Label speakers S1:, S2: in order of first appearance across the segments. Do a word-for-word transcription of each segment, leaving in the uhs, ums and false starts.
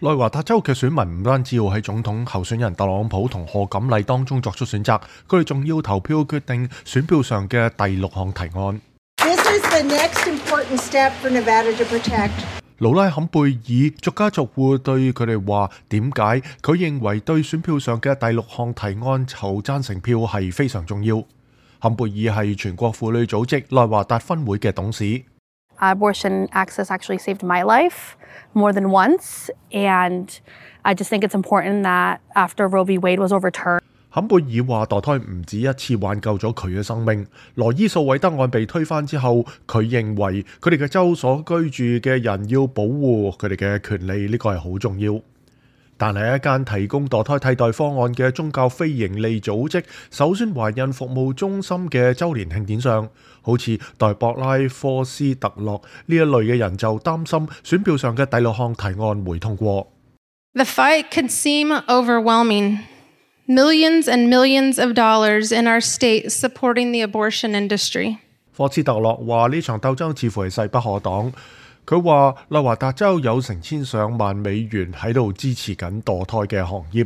S1: 內華達州嘅選民唔單止要喺總統候選人特朗普同賀錦麗當中作出選擇，佢哋仲要投票決定選票上嘅第六項提案。
S2: This is the next important step for Nevada to protect.
S1: 勞拉坎貝爾逐家逐戶對佢哋話點解佢認為對選票上嘅第六項提案投贊成票係非常重要。坎貝爾係全國婦女組織內華達分會嘅董事。
S3: Abortion access actually saved my life more than once, and I just think it's important that after Roe v. Wade was overturned.
S1: 坎貝爾話墮胎唔止一次挽救咗佢嘅生命。羅伊訴韋德案被推翻之後，佢認為佢哋嘅州所居住嘅人要保護佢哋嘅權利，呢個係好重要。但係一間提供墮胎替代方案嘅宗教非營利組織首宣懷孕服務中心嘅週年慶典上，好似代博拉科斯特洛呢一類嘅人就擔心選票上嘅第六項提案會通過。
S4: The fight could seem overwhelming. Millions and millions of dollars in our state supporting the abortion industry.
S1: 科斯特洛話呢場鬥爭似乎係勢不可擋。佢話內華達州有成千上萬美元喺度支持緊墮胎嘅行業。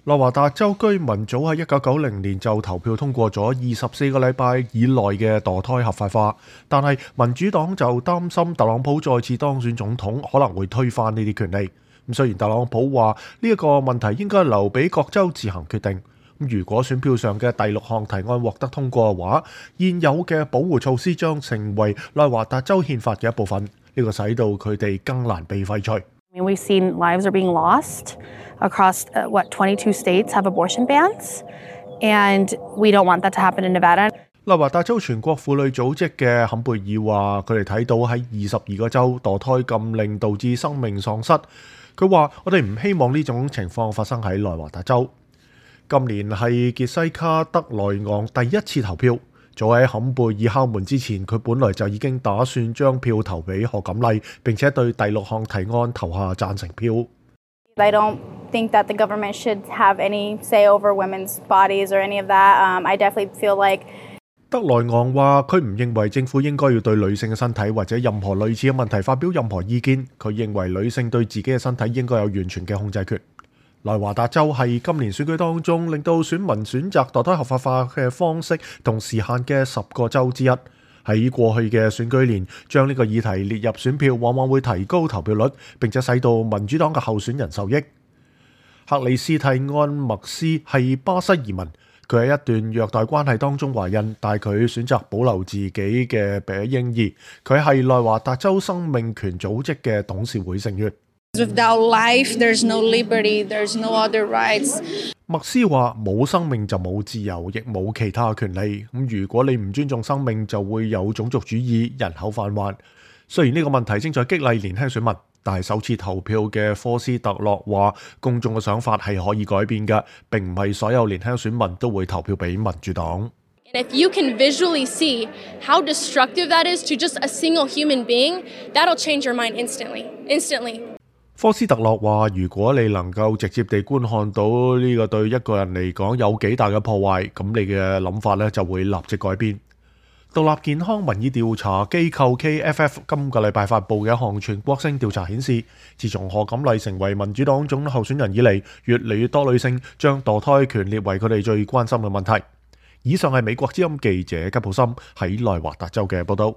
S1: 內華達州居民早喺一九九零年就投票通過咗二十四個禮拜以內嘅墮胎合法化，但係民主黨就擔心特朗普再次當選總統可能會推翻呢啲權利。咁雖然特朗普話呢一個問題應該留俾各州自行決定，咁如果選票上嘅第六項提案獲得通過嘅話，現有嘅保護措施將成為內華達州憲法嘅一部分，呢個使到佢哋更難被廢除。
S3: I mean, we've seen lives are being lost across uh, what twenty-two states have abortion bans, and we don't want that to happen in Nevada.
S1: 內華達州全國婦女組織嘅坎貝爾話，佢哋睇到喺二十二個州墮胎禁令導致生命喪失。佢話：我哋唔希望呢種情況發生喺內華達州。今年係傑西卡德萊昂第一次投票。早喺坎貝爾敲門之前，佢本來就已經打算將票投俾賀錦麗，並且對第六項提案投下贊成票。
S5: I don't think that the government should have any say over women's bodies or any of that. Um, I definitely feel like
S1: 德萊昂話：佢唔認為政府應該要對女性嘅身體或者任何類似嘅問題發表任何意見。佢認為女性對自己嘅身體應該有完全嘅控制權。內華達州係今年選舉當中令到選民選擇墮胎合法化嘅方式同時限嘅十個州之一。喺過去嘅選舉年，將呢個議題列入選票，往往會提高投票率，並且使到民主黨嘅候選人受益。克里斯蒂安麥斯係巴西移民。佢喺一段虐待關係當中懷孕，但係佢選擇保留自己嘅嬰兒。佢係內華達州生命權組織嘅董事會成員。
S4: Without life, there's no liberty, there's no other rights.
S1: 麥斯話：冇生命就冇自由，亦冇其他權利。咁如果你唔尊重生命，就會有種族主義、人口販運。雖然呢個問題正在激勵年輕選民，但係首次投票嘅科斯特洛話，公眾嘅想法係可以改變嘅，並唔係所有年輕選民都會投票俾民主黨。
S6: And if you can visually see how destructive that is to just a single human being, that'll change your mind instantly. Instantly.
S1: 科斯特洛話：如果你能夠直接地觀看到呢個對一個人嚟講有幾大嘅破壞，咁你嘅諗法咧就會立即改變。獨立健康民意調查機構 K F F 今個禮拜發布嘅一項全國性調查顯示，自從賀錦麗成為民主黨總統候選人以嚟，越嚟越多女性將墮胎權列為佢哋最關心嘅問題。以上係美國之音記者吉普森喺內華達州嘅報道。